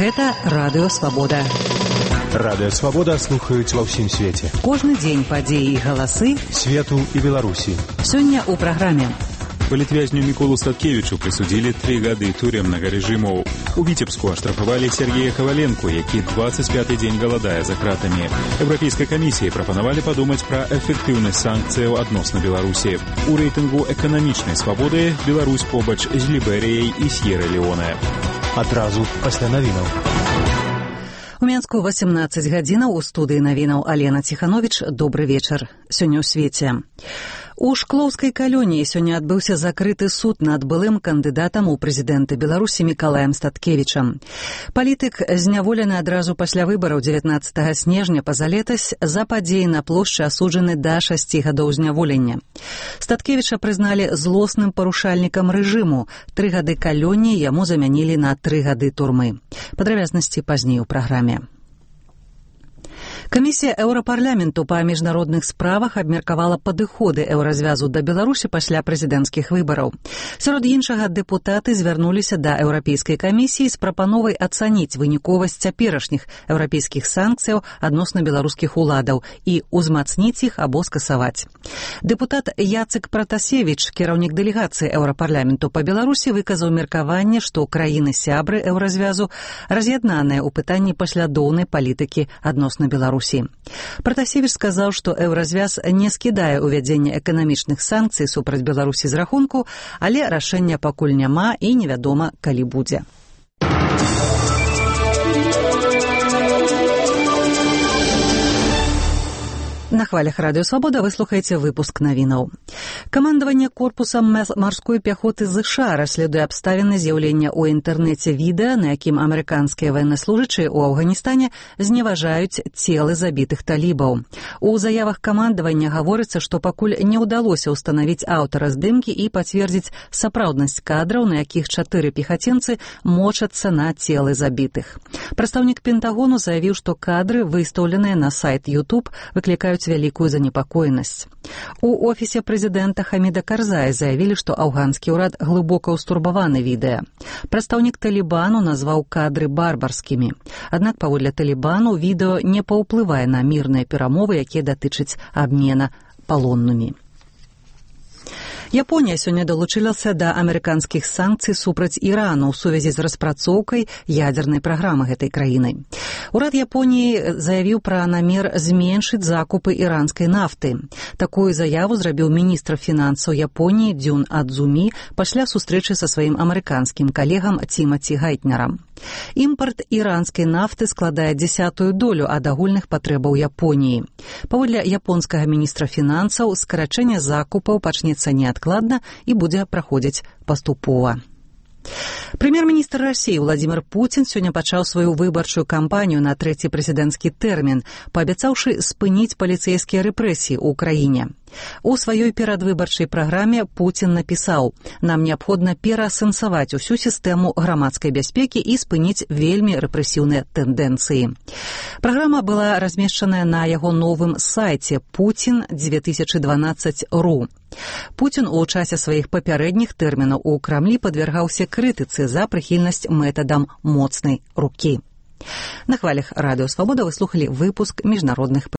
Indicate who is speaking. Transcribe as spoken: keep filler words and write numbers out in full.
Speaker 1: Гэта Радыё Свабода.
Speaker 2: Радыё Свабода слухаюць ва ўсім свеце.
Speaker 1: Кожны дзень падзеі і галасы
Speaker 2: свету і Беларусі.
Speaker 1: Сёння ў праграме.
Speaker 3: Палітвязню Міколу Статкевічу прысудзілі тры гады турэмнага рэжыму. У Віцебску аштрафавалі Сергея Каваленку, які дваццаць пяты дзень галадае за кратамі. Еўрапейскай камісіі прапанавалі падумаць пра эфектыўнасць санкцыяў адносна Беларусі. У рэйтынгу эканамічнай свабоды Беларусь побач з Ліберыяй і С'ера-Леоне.
Speaker 2: Адразу пасля навінаў.
Speaker 1: У Менску васемнаццаць гадзінаў, у студыі навінаў Алена Ціхановіч. Добры вечар. Сёння ў свеце. У Шклоўскай калоніі сёння адбыўся закрыты суд над былым кандыдатам у прэзідэнты Беларусі Мікалаем Статкевічам. Палітык зняволены адразу пасля выбараў дзевятнаццатага снежня пазалетась за падзеі на плошчы асуджаны да шасці гадоў зняволення. Статкевіча прызналі злосным парушальнікам рэжыму. Тры гады калоніі яму замянілі на тры гады турмы. Падрабязнасці пазней у праграме. Камісія Еўрапарламенту па міжнародных справах абмеркавала падыходы еўразвязу да Беларусі пасля прэзідэнцкіх выбараў. Сярод іншага, дэпутаты звярнуліся да Еўрапейскай камісіі з прапановай ацаніць выніковасць цяперашніх еўрапейскіх санкцыяў адносна беларускіх уладаў і ўзмацніць іх або скасаваць. Дэпутат Яцек Пратасевіч, кіраўнік дэлегацыі Еўрапарламенту па Беларусі, выказаў меркаванне, што краіны-сябры еўразвязу раз'яднаныя ў пытанні паслядоўнай палітыкі адносна Беларусі. Пратасевіч сказаў, што еўразвяз не скідае ўвядзенне эканамічных санкцый супраць Беларусі з рахунку, але рашэння пакуль няма і невядома, калі будзе. На хвалях Радыё Свабода вы слухаеце выпуск навінаў. Камандаванне корпусам марской пяхоты ЗША расследуе абставіны з'яўлення ў інтэрнэце відэа, на якім амерыканскія ваеннаслужачыя ў Афганістане зневажаюць целы забітых талібаў. У заявах камандавання гаворыцца, што пакуль не ўдалося ўстанавіць аўтара здымкі і пацвердзіць сапраўднасць кадраў, на якіх чатыры пехацінцы мочацца на целы забітых. Прадстаўнік Пентагону заявіў, што кадры, выстаўленыя на сайт YouTube, выклікаюць вялікую занепакоенасць. У офісе прэзідэнта Хаміда Карзая заявілі, што афганскі ўрад глыбока ўстурбаваны відэа. Прадстаўнік Талібану назваў кадры барбарскімі. Аднак, паводле Талібану, відэо не паўплывае на мірныя перамовы, якія датычаць абмена палоннымі. Японія сёння далучылася да амерыканскіх санкцый супраць Ірану ў сувязі з распрацоўкай ядзернай праграмы гэтай краіны. Урад Японіі заявіў пра намер зменшыць закупы іранскай нафты. Такую заяву зрабіў міністр фінансаў Японіі Дзюн Адзумі пасля сустрэчы са сваім амерыканскім калегам Тімаці Гайтнерам. Імпарт іранскай нафты складае дзесятую долю ад агульных патрэбаў Японіі. Паводле японскага міністра фінансаў, скарачэнне закупаў пачнецца неадкладна і будзе праходзіць паступова. Прэм'ер-міністр Расіі Владзімір Пуцін сёння пачаў сваю выбарчую кампанію на трэці прэзідэнцкі тэрмін, паабяцаўшы спыніць паліцэйскія рэпрэсіі ў краіне. У сваёй перадвыбарчай праграме Пуцін напісаў: «Нам неабходна пераасэнсаваць усю сістэму грамадскай бяспекі і спыніць вельмі рэпрэсіўныя тэндэнцыі». Праграма была размешчаная на яго новым сайце пуцін дзве тысячы дванаццаць ру. Пуцін у часе сваіх папярэдніх тэрмінаў у Крамлі падвяргаўся крытыцы за прыхільнасць метадам моцнай рукі. На хвалях Радыё Свабода вы слухалі выпуск міжнародных